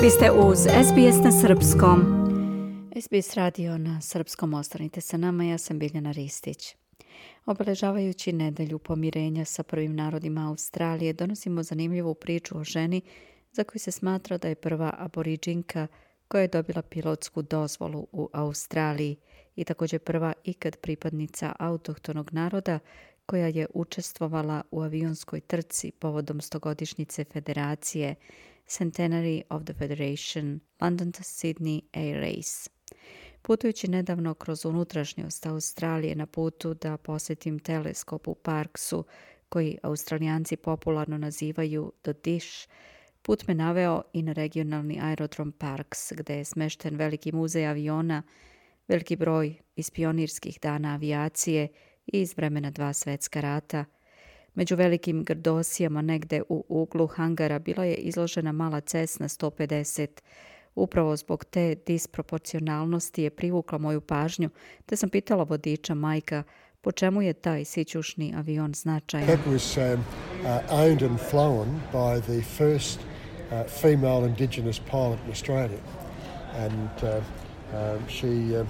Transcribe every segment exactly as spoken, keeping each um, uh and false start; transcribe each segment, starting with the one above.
Vi ste uz S B S na srpskom. S B S radio na srpskom, ostanite sa nama, ja sam Biljana Ristić. Obeležavajući nedelju pomirenja sa prvim narodima Australije, donosimo zanimljivu priču o ženi za koju se smatra da je prva aboriđinka koja je dobila pilotsku dozvolu u Australiji i također prva ikad pripadnica autohtonog naroda koja je učestvovala u avionskoj trci povodom stogodišnjice federacije Centenary of the Federation London to Sydney Air Race. Putujući nedavno kroz unutrašnjost Australije na putu da posjetim teleskop u Parksu, koji Australijanci popularno nazivaju The Dish, put me naveo i na regionalni aerodrom Parks, gdje je smešten veliki muzej aviona, veliki broj iz pionirskih dana avijacije i iz vremena dva svjetska rata. Među velikim grdosijama negde u uglu hangara bila je izložena mala Cessna sto pedeset. Upravo zbog te disproporcionalnosti je privukla moju pažnju, te sam pitala vodiča Majka po čemu je taj sićušni avion značajan. That was um, uh, owned and flown by the first uh, female Indigenous pilot in Australia. And uh, um, she uh,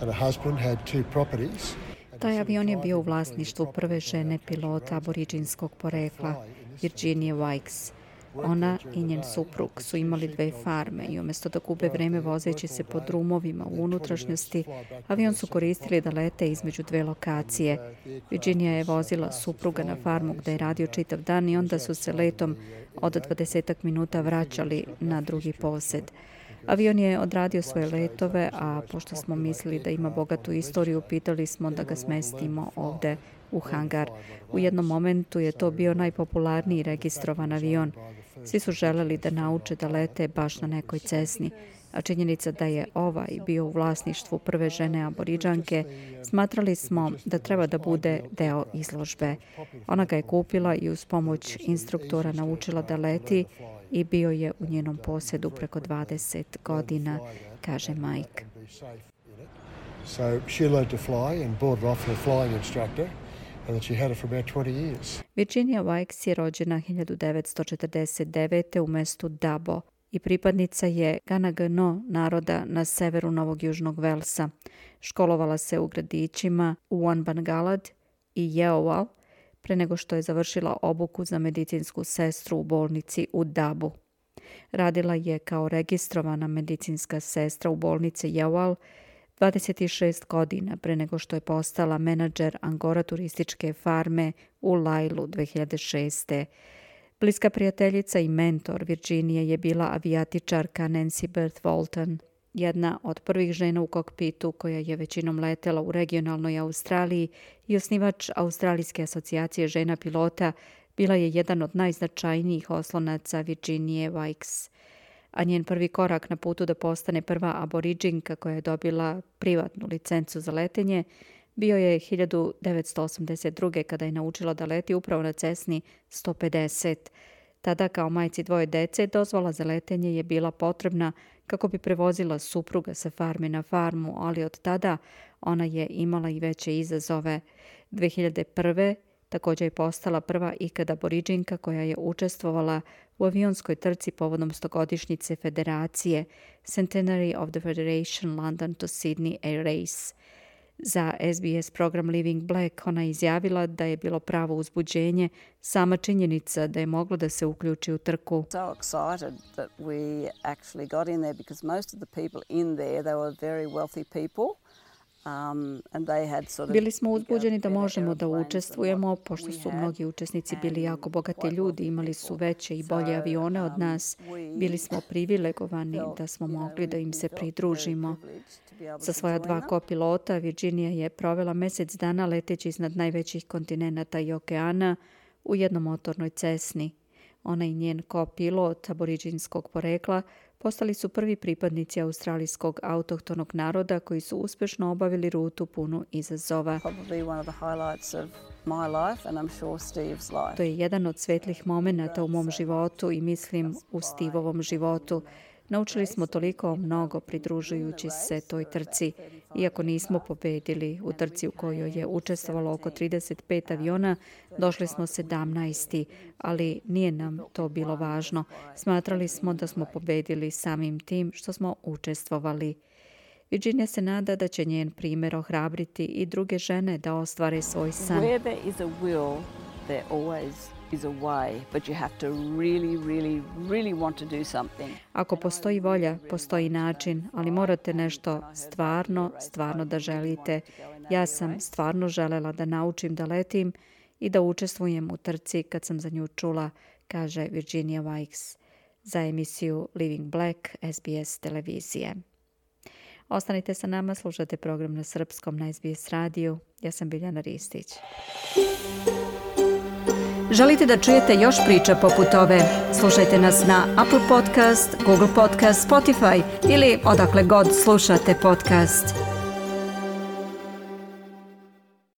and her husband had two properties. Taj avion je bio u vlasništvu prve žene pilota aboriđinskog porekla, Virginie Wykes. Ona i njen suprug su imali dve farme i umjesto da gube vreme vozeći se po drumovima u unutrašnjosti, avion su koristili da lete između dve lokacije. Virginia je vozila supruga na farmu gdje je radio čitav dan i onda su se letom od dvadesetak minuta vraćali na drugi posed. Avion je odradio svoje letove, a pošto smo mislili da ima bogatu istoriju, pitali smo da ga smestimo ovde u hangar. U jednom momentu je to bio najpopularniji registrovan avion. Svi su želeli da nauče da lete baš na nekoj Cessni, a činjenica da je ovaj bio u vlasništvu prve žene aboriđanke, smatrali smo da treba da bude deo izložbe. Ona ga je kupila i uz pomoć instruktora naučila da leti i bio je u njenom posjedu preko dvadeset godina, kaže Mike. So she learned to fly and bought it off her flying instructor. And she had it for about twenty years. Virginia Wykes je rođena hiljadu devetsto četrdeset devete u mestu Dabo i pripadnica je Ganagano naroda na severu Novog Južnog Velsa. Školovala se u gradićima Uanbangalad i Yeowal pre nego što je završila obuku za medicinsku sestru u bolnici u Dabu. Radila je kao registrovana medicinska sestra u bolnici Yeowal dvadeset šest godina pre nego što je postala menadžer Angora turističke farme u Lailu dve hiljade šeste. Bliska prijateljica i mentor Virginije je bila avijatičarka Nancy Berth Walton, jedna od prvih žena u kokpitu koja je većinom letela u regionalnoj Australiji i osnivač Australijske asocijacije žena pilota, bila je jedan od najznačajnijih oslonaca Virginie Wykes. A njen prvi korak na putu da postane prva aboriđinka koja je dobila privatnu licencu za letenje bio je hiljadu devetsto osamdeset druge. kada je naučila da leti upravo na Cessni sto pedeset. Tada kao majci dvoje dece dozvola za letenje je bila potrebna kako bi prevozila supruga sa farme na farmu, ali od tada ona je imala i veće izazove. dve hiljade prve. također je postala prva ikada aboriđinka koja je učestvovala u avionskoj trci povodom stogodišnjice federacije Centenary of the Federation London to Sydney Air Race. Za S B S program Living Black ona je izjavila da je bilo pravo uzbuđenje sama činjenica da je moglo da se uključi u trku. So excited that we actually got in there because most of the people in there, they were very wealthy people. Um, and they had sort of Bili smo uzbuđeni da možemo da učestvujemo, pošto su mnogi učesnici bili jako bogati ljudi, imali su veće i bolje avione od nas. Bili smo privilegovani da smo mogli da im se pridružimo. Sa svoja dva kopilota Virginia je provela mesec dana leteći iznad najvećih kontinenata i okeana u jednomotornoj Cessni. Ona i njen kopilot aboriđinskog porekla postali su prvi pripadnici australijskog autohtonog naroda koji su uspješno obavili rutu punu izazova. To je jedan od svetlih momenata u mom životu i mislim u Steveovom životu. Naučili smo toliko mnogo pridružujući se toj trci. Iako nismo pobedili u trci u kojoj je učestvovalo oko trideset pet aviona, došli smo sedamnaesti, ali nije nam to bilo važno. Smatrali smo da smo pobedili samim tim što smo učestvovali. Virginia se nada da će njen primjer ohrabriti i druge žene da ostvare svoj san. Where there is a will, there always is a way, but you have to really, really, really want to do something. Ako postoji volja, postoji način, ali morate nešto stvarno, stvarno da želite. Ja sam stvarno želela da naučim da letim i da učestvujem u trci kad sam za nju čula, kaže Virginia Wykes za emisiju Living Black S B S televizije. Ostanite sa nama, slušate program na srpskom na S B S radiju. Ja sam Biljana Ristić. Želite da čujete još priča poput ove? Slušajte nas na Apple Podcast, Google Podcast, Spotify ili odakle god slušate podcast.